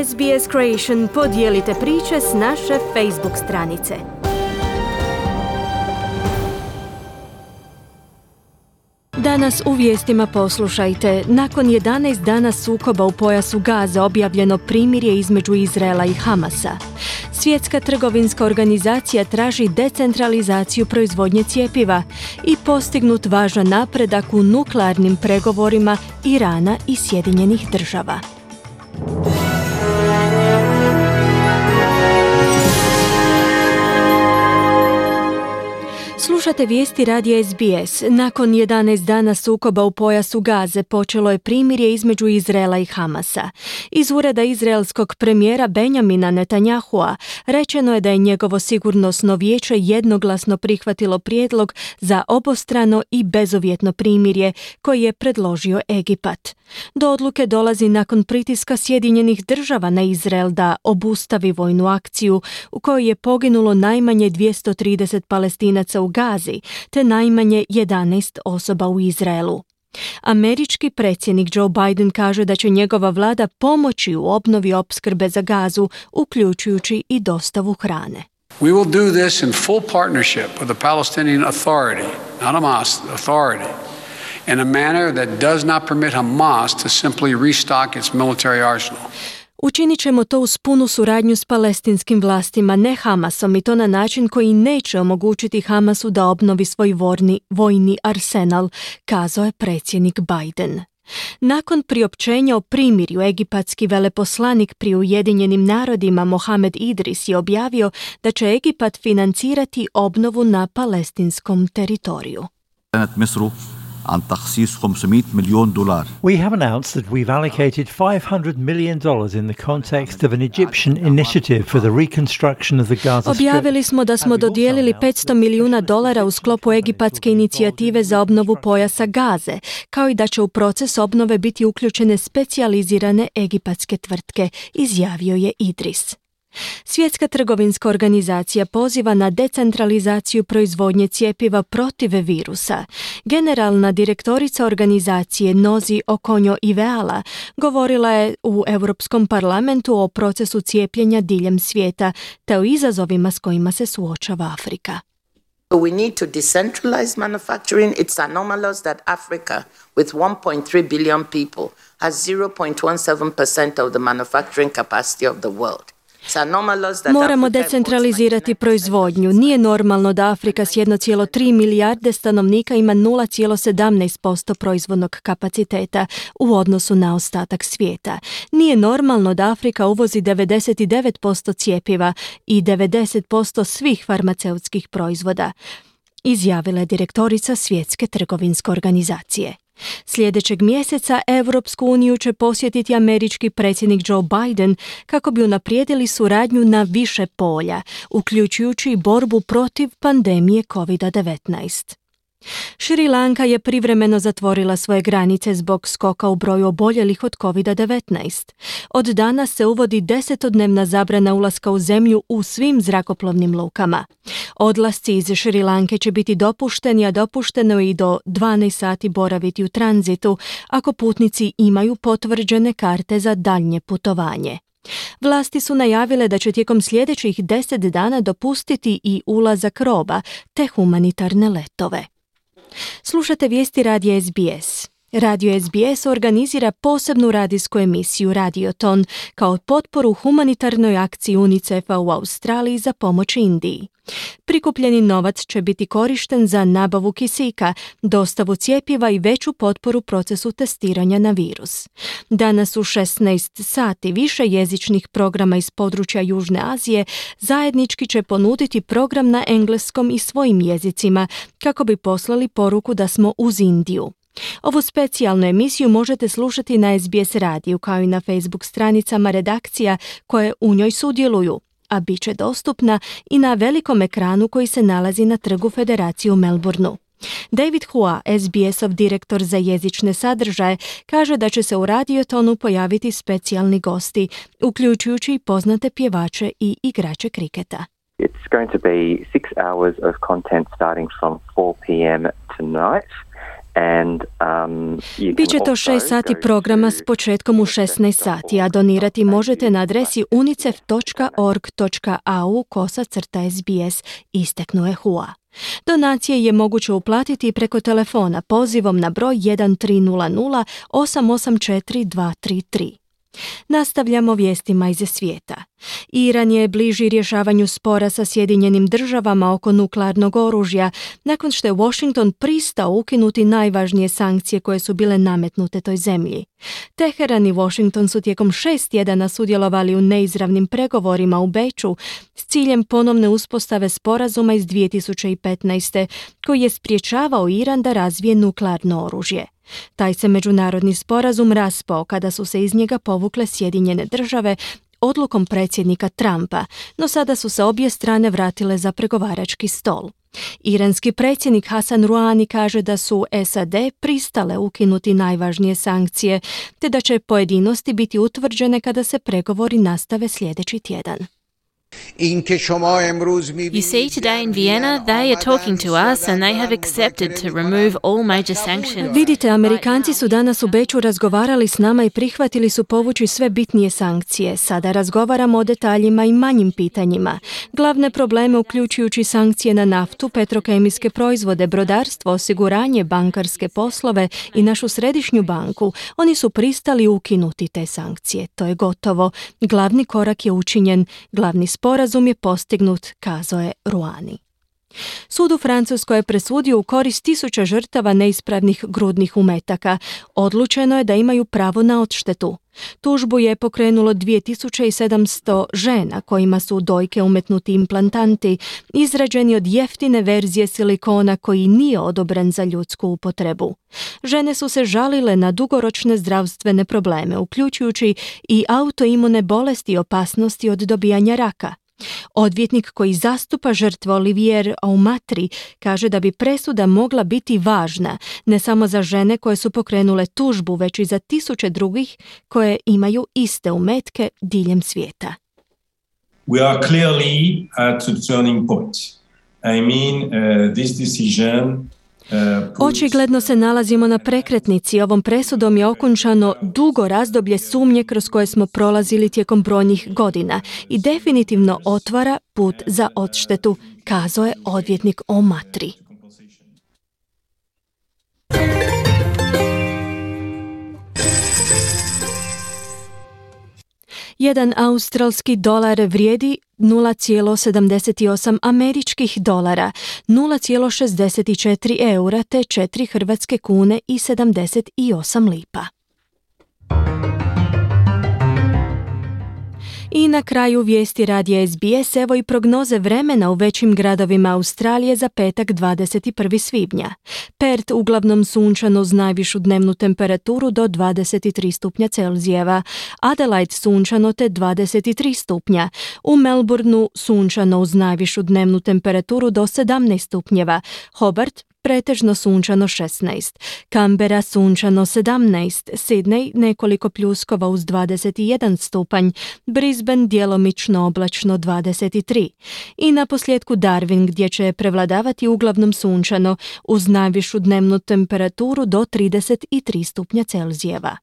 SBS Creation, podijelite priče s naše Facebook stranice. Danas u vijestima poslušajte. Nakon 11 dana sukoba u pojasu Gaze objavljeno primirje između Izraela i Hamasa. Svjetska trgovinska organizacija traži decentralizaciju proizvodnje cjepiva i postignut važan napredak u nuklearnim pregovorima Irana i Sjedinjenih Država. Slušate vijesti radija SBS. Nakon 11 dana sukoba u pojasu Gaze počelo je primirje između Izraela i Hamasa. Iz ureda izraelskog premijera Benjamina Netanyahua rečeno je da je njegovo sigurnosno vijeće jednoglasno prihvatilo prijedlog za obostrano i bezuvjetno primirje koji je predložio Egipat. Do odluke dolazi nakon pritiska Sjedinjenih Država na Izrael da obustavi vojnu akciju u kojoj je poginulo najmanje 230 Palestinaca u Gazi, te najmanje 11 osoba u Izraelu. Američki predsjednik Joe Biden kaže da će njegova vlada pomoći u obnovi opskrbe za Gazu, uključujući i dostavu hrane. We will do this in full partnership with the Palestinian Authority, not Hamas, the authority, in a manner that does not permit Hamas to simply restock its military arsenal. Učinit ćemo to uz punu suradnju s palestinskim vlastima, ne Hamasom, i to na način koji neće omogućiti Hamasu da obnovi svoj vojni arsenal, kazao je predsjednik Biden. Nakon priopćenja o primirju, egipatski veleposlanik pri Ujedinjenim narodima Mohamed Idris je objavio da će Egipat financirati obnovu na palestinskom teritoriju. عن تخصيص $500 مليون. We have announced that we've allocated $500 million in the context of an Egyptian initiative for the reconstruction of the Gaza Strip. Objavili smo da smo dodijelili $500 milijuna u sklopu egipatske inicijative za obnovu pojasa Gaze, kao i da će u proces obnove biti uključene specijalizirane egipatske tvrtke, izjavio je Idris. Svjetska trgovinska organizacija poziva na decentralizaciju proizvodnje cjepiva protiv virusa. Generalna direktorica organizacije Nozi Okonjo-Iweala govorila je u Europskom parlamentu o procesu cijepljenja diljem svijeta te o izazovima s kojima se suočava Afrika. We need to decentralize manufacturing. It's anomalous that Africa, with 1.3 billion people, has 0.17% of the manufacturing capacity of the world. Moramo decentralizirati proizvodnju. Nije normalno da Afrika s 1,3 milijarde stanovnika ima 0,17% proizvodnog kapaciteta u odnosu na ostatak svijeta. Nije normalno da Afrika uvozi 99% cjepiva i 90% svih farmaceutskih proizvoda, izjavila je direktorica Svjetske trgovinske organizacije. Sljedećeg mjeseca Europsku uniju će posjetiti američki predsjednik Joe Biden kako bi unaprijedili suradnju na više polja, uključujući i borbu protiv pandemije COVID-19. Šri Lanka je privremeno zatvorila svoje granice zbog skoka u broju oboljelih od COVID-19. Od danas se uvodi 10-dnevna zabrana ulaska u zemlju u svim zrakoplovnim lukama. Odlasci iz Šri Lanke će biti dopušteni, a dopušteno je i do 12 sati boraviti u tranzitu ako putnici imaju potvrđene karte za daljnje putovanje. Vlasti su najavile da će tijekom sljedećih 10 dana dopustiti i ulazak roba te humanitarne letove. Slušate vijesti radija SBS. Radio SBS organizira posebnu radijsku emisiju Radioton kao potporu humanitarnoj akciji UNICEF-a u Australiji za pomoć Indiji. Prikupljeni novac će biti korišten za nabavu kisika, dostavu cjepiva i veću potporu procesu testiranja na virus. Danas u 16 sati više jezičnih programa iz područja Južne Azije zajednički će ponuditi program na engleskom i svojim jezicima kako bi poslali poruku da smo uz Indiju. Ovu specijalnu emisiju možete slušati na SBS radiju kao i na Facebook stranicama redakcija koje u njoj sudjeluju, a bit će dostupna i na velikom ekranu koji se nalazi na Trgu Federacije u Melbourneu. David Hua, SBS-ov direktor za jezične sadržaje, kaže da će se u Radiotonu pojaviti specijalni gosti, uključujući poznate pjevače i igrače kriketa. It's going to be 6 hours of content starting from 4 p.m. tonight. Biće to 6 sati programa s početkom u 16 sati, a donirati možete na adresi unicef.org.au/SBS, isteknuo je Hua. Donacije je moguće uplatiti preko telefona pozivom na broj 1300 884 233. Nastavljamo vijestima iz svijeta. Iran je bliži rješavanju spora sa Sjedinjenim državama oko nuklearnog oružja, nakon što je Washington pristao ukinuti najvažnije sankcije koje su bile nametnute toj zemlji. Teheran i Washington su tijekom 6 tjedana sudjelovali u neizravnim pregovorima u Beču s ciljem ponovne uspostave sporazuma iz 2015. koji je sprječavao Iran da razvije nuklearno oružje. Taj se međunarodni sporazum raspao kada su se iz njega povukle Sjedinjene države odlukom predsjednika Trumpa, no sada su se obje strane vratile za pregovarački stol. Iranski predsjednik Hasan Rouhani kaže da su SAD pristale ukinuti najvažnije sankcije, te da će pojedinosti biti utvrđene kada se pregovori nastave sljedeći tjedan. You see, today in Vienna, they are talking to us and they have accepted to remove all major sanctions. Vidite, Amerikanci su danas u Beču razgovarali s nama i prihvatili su povući sve bitnije sankcije. Sada razgovaramo o detaljima i manjim pitanjima. Glavne probleme uključujući sankcije na naftu, petrokemijske proizvode, brodarstvo, osiguranje, bankarske poslove i našu središnju banku. Oni su pristali ukinuti te sankcije. To je gotovo. Glavni korak je učinjen. Glavni sporazum je postignut, kazao je Rouhani. Sud u Francuskoj je presudio u korist 1000 žrtava neispravnih grudnih umetaka. Odlučeno je da imaju pravo na odštetu. Tužbu je pokrenulo 2700 žena kojima su u dojke umetnuti implantanti, izrađeni od jeftine verzije silikona koji nije odobren za ljudsku upotrebu. Žene su se žalile na dugoročne zdravstvene probleme, uključujući i autoimune bolesti i opasnosti od dobijanja raka. Odvjetnik koji zastupa žrtve Olivier Aumatri kaže da bi presuda mogla biti važna ne samo za žene koje su pokrenule tužbu, već i za 1000 drugih koje imaju iste umetke diljem svijeta. We are clearly at a turning point. This decision Očigledno se nalazimo na prekretnici. Ovom presudom je okončano dugo razdoblje sumnje kroz koje smo prolazili tijekom brojnih godina i definitivno otvara put za odštetu, kazao je odvjetnik Aumatri. Jedan australski dolar vrijedi 0,78 američkih dolara, 0,64 eura te 4 hrvatske kune i 78 lipa. I na kraju vijesti radija SBS, evo i prognoze vremena u većim gradovima Australije za petak 21. svibnja. Perth uglavnom sunčano uz najvišu dnevnu temperaturu do 23 stupnja Celzijeva, Adelaide sunčano te 23 stupnja, u Melbourneu sunčano uz najvišu dnevnu temperaturu do 17 stupnjeva, Hobart pretežno sunčano 16, Canberra sunčano 17, Sydney nekoliko pljuskova uz 21 stupanj, Brisbane djelomično oblačno 23 i na posljedku Darwin gdje će prevladavati uglavnom sunčano uz najvišu dnevnu temperaturu do 33 stupnja Celzijeva.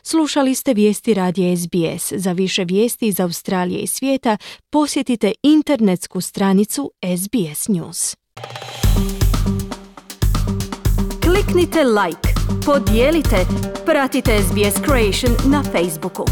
Slušali ste vijesti radija SBS. Za više vijesti iz Australije i svijeta posjetite internetsku stranicu SBS News. Kliknite like, podijelite, pratite SBS Creation na Facebooku.